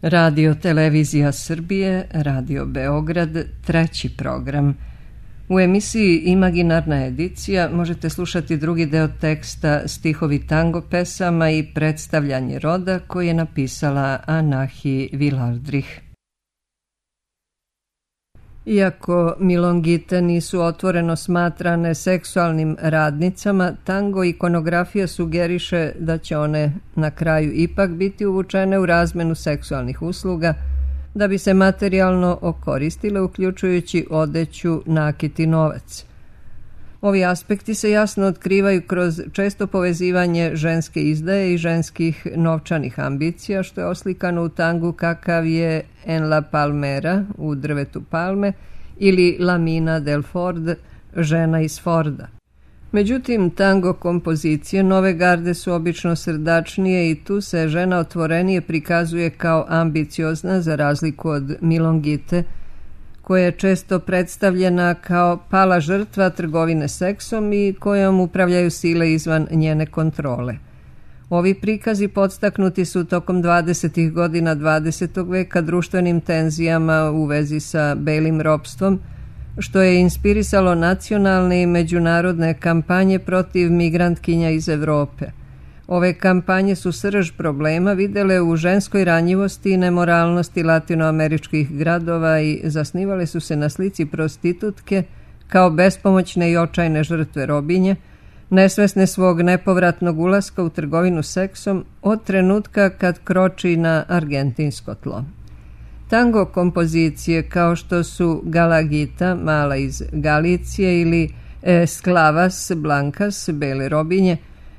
Radio Televizija Srbije, Radio Beograd, treći program. U emisiji Imaginarna edicija možete slušati drugi deo teksta Stihovi tango pesama i predstavljanje roda koji je napisala Anahi Vilardrih. Iako milongite nisu otvoreno smatrane seksualnim radnicama, tango ikonografija sugeriše da će one na kraju ipak biti uvučene u razmenu seksualnih usluga da bi se materijalno okoristile, uključujući odeću, nakit i novac. Ovi aspekti se jasno otkrivaju kroz često povezivanje ženske izdaje i ženskih novčanih ambicija, što je oslikano u tangu kakav je En la Palmera, u drvetu palme, ili La Mina del Ford, žena iz Forda. Međutim, tango kompozicije nove garde su obično srdačnije i tu se žena otvorenije prikazuje kao ambiciozna za razliku od milongite, koja je često predstavljena kao pala žrtva trgovine seksom i kojom upravljaju sile izvan njene kontrole. Ovi prikazi podstaknuti su tokom 20. godina 20. veka društvenim tenzijama u vezi sa belim ropstvom, što je inspirisalo nacionalne i međunarodne kampanje protiv migrantkinja iz Evrope. Ove kampanje su srž problema videle u ženskoj ranjivosti i nemoralnosti latinoameričkih gradova i zasnivale su se na slici prostitutke kao bespomoćne i očajne žrtve robinje, nesvesne svog nepovratnog ulaska u trgovinu seksom od trenutka kad kroči na argentinsko tlo. Tango kompozicije kao što su Galagita, mala iz Galicije, ili Sklavas Blancas, bele robinje,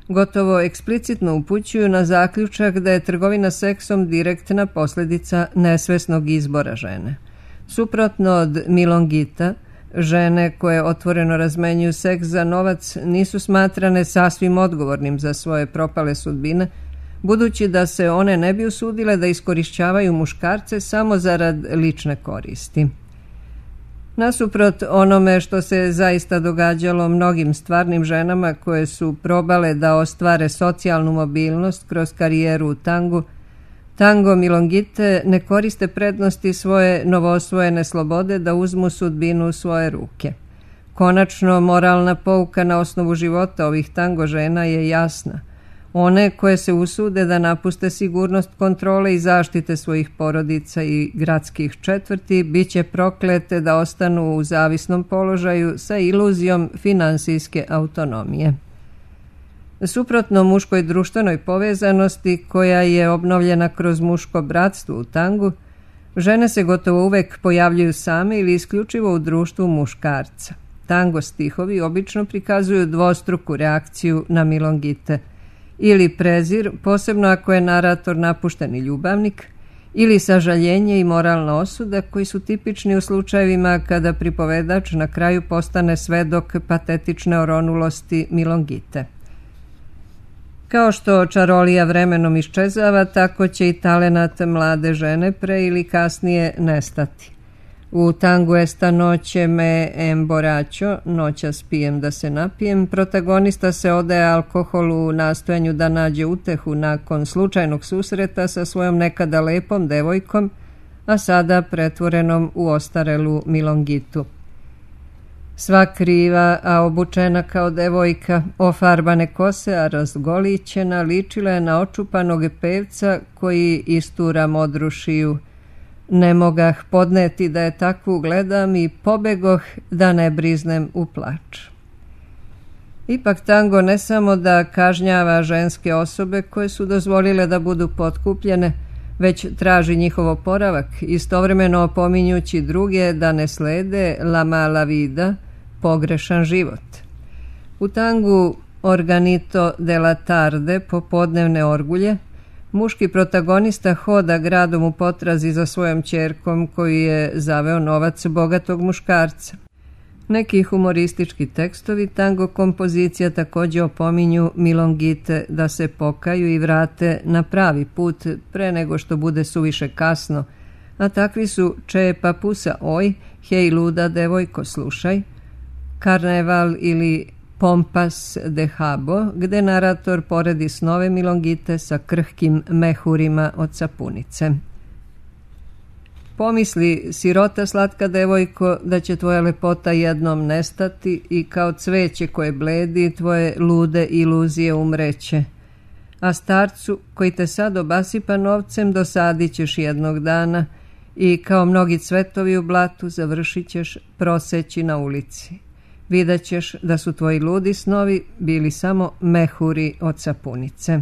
gotovo eksplicitno upućuju na zaključak da je trgovina seksom direktna posljedica nesvesnog izbora žene. Suprotno od milongita, žene koje otvoreno razmenjuju seks za novac nisu smatrane sasvim odgovornim za svoje propale sudbine, budući da se one ne bi usudile da iskorišćavaju muškarce samo zarad lične koristi. Nasuprot onome što se zaista događalo mnogim stvarnim ženama koje su probale da ostvare socijalnu mobilnost kroz karijeru u tangu, tango milongite ne koriste prednosti svoje novoosvojene slobode da uzmu sudbinu u svoje ruke. Konačno, moralna pouka na osnovu života ovih tango žena je jasna. One koje se usude da napuste sigurnost kontrole i zaštite svojih porodica i gradskih četvrti bit će proklete da ostanu u zavisnom položaju sa iluzijom finansijske autonomije. Suprotno muškoj društvenoj povezanosti koja je obnovljena kroz muško bratstvo u tangu, žene se gotovo uvek pojavljuju same ili isključivo u društvu muškarca. Tango stihovi obično prikazuju dvostruku reakciju na milongite, ili prezir, posebno ako je narator napušteni ljubavnik, ili sažaljenje i moralna osuda koji su tipični u slučajevima kada pripovedač na kraju postane svedok patetične oronulosti milongite. Kao što čarolija vremenom iščezava, tako će i talenat mlade žene pre ili kasnije nestati. U tangu Esta noće me emborracho, noćas pijem da se napijem, protagonista se odaje alkoholu u nastojanju da nađe utehu nakon slučajnog susreta sa svojom nekada lepom devojkom, a sada pretvorenom u ostarelu milongitu. Sva kriva, a obučena kao devojka, ofarbane kose, a razgolićena, ličila je na očupanog pevca koji istura modru šiju. Ne mogah podneti da je takvu gledam i pobegoh da ne briznem u plač. Ipak tango ne samo da kažnjava ženske osobe koje su dozvolile da budu potkupljene, već traži njihov oporavak, istovremeno opominjući druge da ne slede la mala vida, pogrešan život. U tangu Organito della tarde, popodnevne orgulje, muški protagonista hoda gradom u potrazi za svojom ćerkom koju je zaveo novac bogatog muškarca. Neki humoristički tekstovi tango kompozicija također opominju milongite da se pokaju i vrate na pravi put pre nego što bude suviše kasno, a takvi su Če papusa oj, hej luda devojko slušaj, Karneval ili Pompas de Habo, gde narator poredi snove milongite sa krhkim mehurima od sapunice. Pomisli, sirota slatka devojko, da će tvoja lepota jednom nestati i kao cveće koje bledi tvoje lude iluzije umreće. A starcu koji te sad obasipa novcem dosadit ćeš jednog dana i kao mnogi cvetovi u blatu završit ćeš proseći na ulici. Vidjet ćeš da su tvoji ludi snovi bili samo mehuri od sapunice.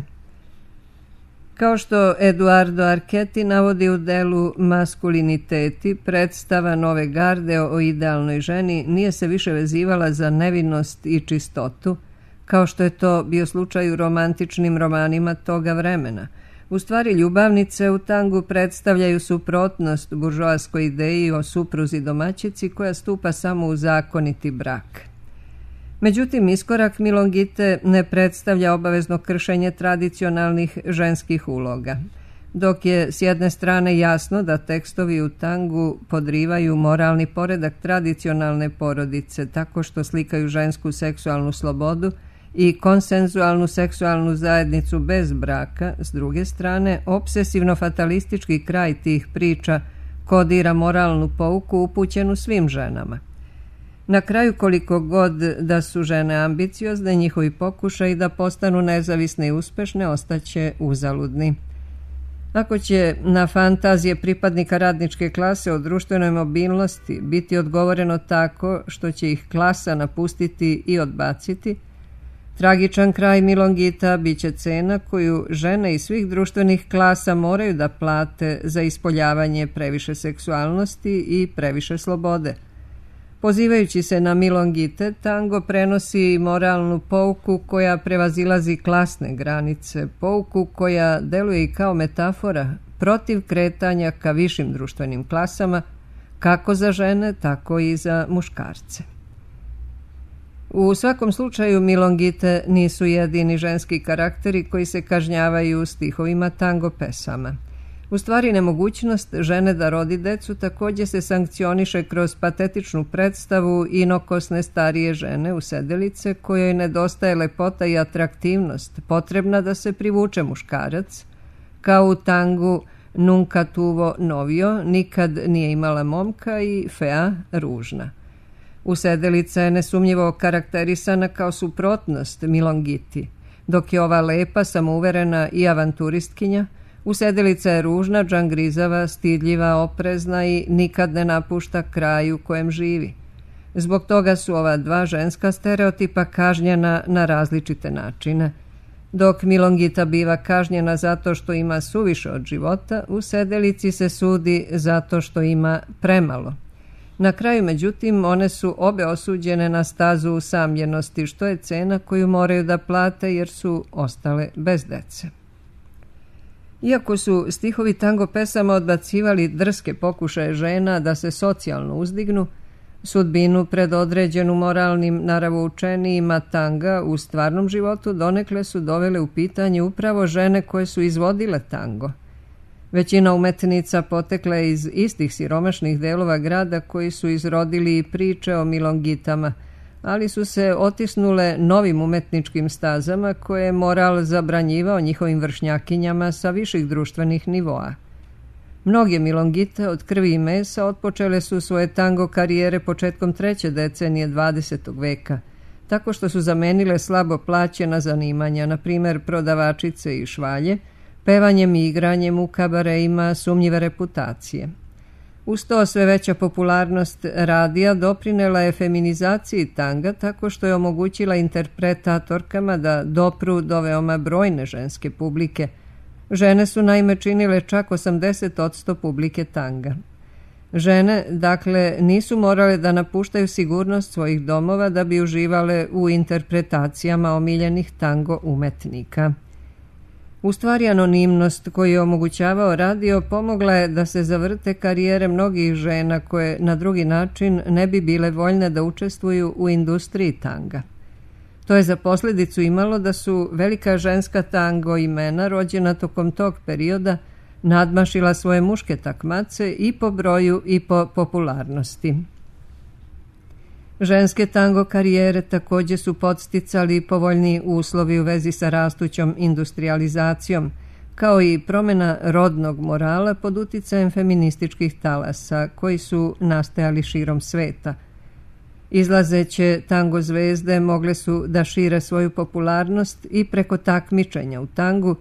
Kao što Eduardo Archetti navodi u delu Maskuliniteti, predstava nove garde o idealnoj ženi nije se više vezivala za nevinost i čistotu, kao što je to bio slučaj u romantičnim romanima toga vremena. U stvari, ljubavnice u tangu predstavljaju suprotnost buržoaskoj ideji o supruzi domaćici koja stupa samo u zakoniti brak. Međutim, iskorak Milongite ne predstavlja obavezno kršenje tradicionalnih ženskih uloga. Dok je s jedne strane jasno da tekstovi u tangu podrivaju moralni poredak tradicionalne porodice tako što slikaju žensku seksualnu slobodu i konsenzualnu seksualnu zajednicu bez braka, s druge strane, obsesivno-fatalistički kraj tih priča kodira moralnu pouku upućenu svim ženama. Na kraju, koliko god da su žene ambiciozne, njihovi pokušaji da postanu nezavisne i uspešne ostaće uzaludni. Ako će na fantazije pripadnika radničke klase o društvenoj mobilnosti biti odgovoreno tako što će ih klasa napustiti i odbaciti, tragičan kraj Milongita biće cena koju žene iz svih društvenih klasa moraju da plate za ispoljavanje previše seksualnosti i previše slobode. Pozivajući se na Milongite, tango prenosi moralnu pouku koja prevazilazi klasne granice, pouku koja deluje i kao metafora protiv kretanja ka višim društvenim klasama, kako za žene, tako i za muškarce. U svakom slučaju, Milongite nisu jedini ženski karakteri koji se kažnjavaju u stihovima tango pesama. U stvari, nemogućnost žene da rodi decu također se sankcioniše kroz patetičnu predstavu inokosne starije žene usedelice kojoj nedostaje lepota i atraktivnost, potrebna da se privuče muškarac, kao u tangu Nunca tuvo novio, nikad nije imala momka i Fea ružna. Usedelica je nesumnjivo karakterisana kao suprotnost Milongiti, dok je ova lepa, samouverena i avanturistkinja, usedelica je ružna, džangrizava, stidljiva, oprezna i nikad ne napušta kraj u kojem živi. Zbog toga su ova dva ženska stereotipa kažnjena na različite načine. Dok Milongita biva kažnjena zato što ima suviše od života, usedelici se sudi zato što ima premalo. Na kraju, međutim, one su obe osuđene na stazu usamljenosti, što je cena koju moraju da plate jer su ostale bez dece. Iako su stihovi tango pesama odbacivali drske pokušaje žena da se socijalno uzdignu, sudbinu predodređenu moralnim naravoučenijima tanga u stvarnom životu donekle su dovele u pitanje upravo žene koje su izvodile tango. Većina umetnica potekla je iz istih siromašnih delova grada koji su izrodili priče o Milongitama, ali su se otisnule novim umetničkim stazama koje je moral zabranjivao njihovim vršnjakinjama sa viših društvenih nivoa. Mnoge Milongite od krvi i mesa otpočele su svoje tango karijere početkom 3. decenije 20. veka, tako što su zamenile slabo plaćena zanimanja, na primjer prodavačice i švalje, pevanjem i igranjem u kabareima sumnjive reputacije. Uz to sve veća popularnost radija doprinela je feminizaciji tanga tako što je omogućila interpretatorkama da dopru do veoma brojne ženske publike. Žene su naime činile čak 80% publike tanga. Žene, dakle, nisu morale da napuštaju sigurnost svojih domova da bi uživale u interpretacijama omiljenih tango umetnika. U stvari, anonimnost koju je omogućavao radio pomogla je da se zavrte karijere mnogih žena koje na drugi način ne bi bile voljne da učestvuju u industriji tanga. To je za posljedicu imalo da su velika ženska tango imena rođena tokom tog perioda nadmašila svoje muške takmace i po broju i po popularnosti. Ženske tango karijere također su podsticali povoljni uslovi u vezi sa rastućom industrializacijom, kao i promjena rodnog morala pod uticajem feminističkih talasa koji su nastajali širom sveta. Izlazeće tango zvezde mogle su da šire svoju popularnost i preko takmičenja u tangu,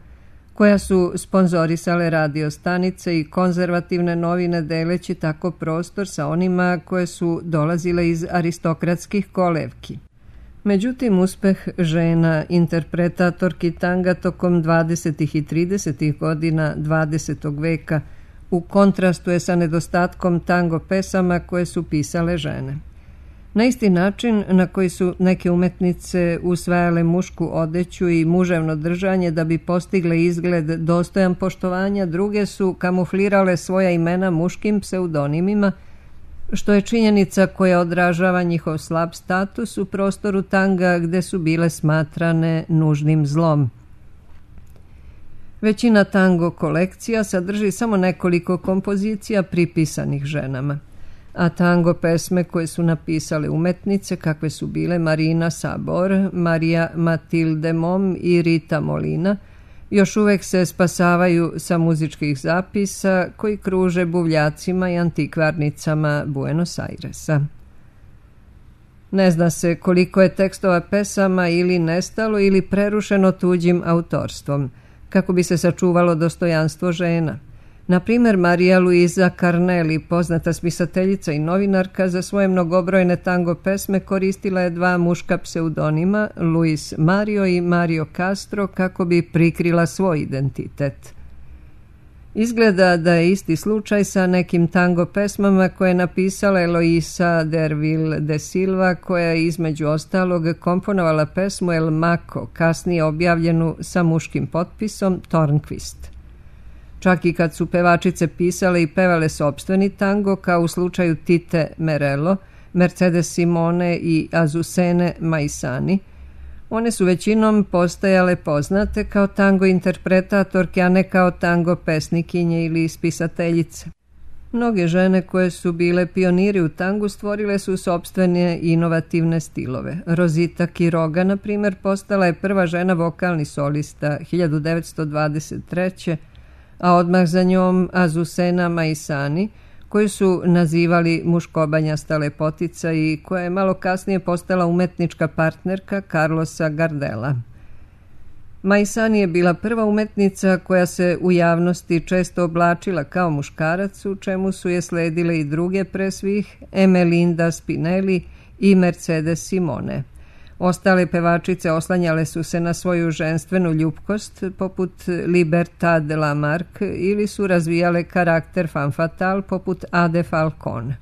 koja su sponzorisale radio stanice i konzervativne novine, deleći tako prostor sa onima koje su dolazile iz aristokratskih kolevki. Međutim, uspeh žena interpretatorki tanga tokom 20. i 30. godina 20. veka u kontrastu je sa nedostatkom tango pesama koje su pisale žene. Na isti način na koji su neke umetnice usvajale mušku odeću i muževno držanje da bi postigle izgled dostojan poštovanja, druge su kamuflirale svoja imena muškim pseudonimima, što je činjenica koja odražava njihov slab status u prostoru tanga gde su bile smatrane nužnim zlom. Većina tango kolekcija sadrži samo nekoliko kompozicija pripisanih ženama, a tango pesme koje su napisale umetnice kakve su bile Marina Sabor, Marija Matilde Mom i Rita Molina još uvek se spasavaju sa muzičkih zapisa koji kruže buvljacima i antikvarnicama Buenos Airesa. Ne zna se koliko je tekstova pesama ili nestalo ili prerušeno tuđim autorstvom, kako bi se sačuvalo dostojanstvo žena. Na primjer, Marija Luisa Carnelli, poznata spisateljica i novinarka, za svoje mnogobrojne tango pesme koristila je dva muška pseudonima, Luis Mario i Mario Castro, kako bi prikrila svoj identitet. Izgleda da je isti slučaj sa nekim tango pesmama koje je napisala Eloisa Derville de Silva, koja je između ostalog komponovala pesmu El Maco, kasnije objavljenu sa muškim potpisom Tornquist. Čak i kad su pevačice pisale i pevale sopstveni tango, kao u slučaju Tite Merello, Mercedes Simone i Azucene Maisani, one su većinom postajale poznate kao tango interpretatorke, a ne kao tango pesnikinje ili spisateljice. Mnoge žene koje su bile pioniri u tangu stvorile su sopstvene inovativne stilove. Rosita Quiroga, na primjer, postala je prva žena vokalni solista 1923. a odmah za njom Azucena Maisani, koju su nazivali muškobanjasta lepotica i koja je malo kasnije postala umetnička partnerka Carlosa Gardela. Maisani je bila prva umetnica koja se u javnosti često oblačila kao muškarac, u čemu su je sledile i druge pre svih, Emelinda Spinelli i Mercedes Simone. Ostale pevačice oslanjale su se na svoju ženstvenu ljupkost, poput Libertad Lamarck, ili su razvijale karakter femme fatale, poput Ade Falcon.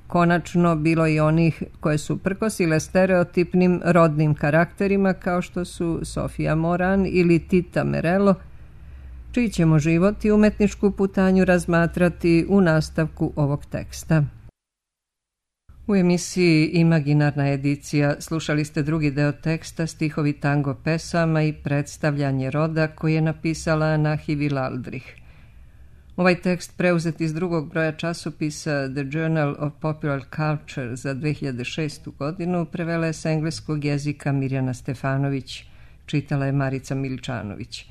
Konačno, bilo i onih koje su prkosile stereotipnim rodnim karakterima, kao što su Sofia Moran ili Tita Merello, čiji ćemo život i umetničku putanju razmatrati u nastavku ovog teksta. U emisiji Imaginarna edicija slušali ste drugi deo teksta Stihovi tango pesama i predstavljanje roda koji je napisala Nahi Wildrich. Ovaj tekst preuzet iz drugog broja časopisa The Journal of Popular Culture za 2006. godinu prevela je s engleskog jezika Mirjana Stefanović, čitala je Marica Miličanović.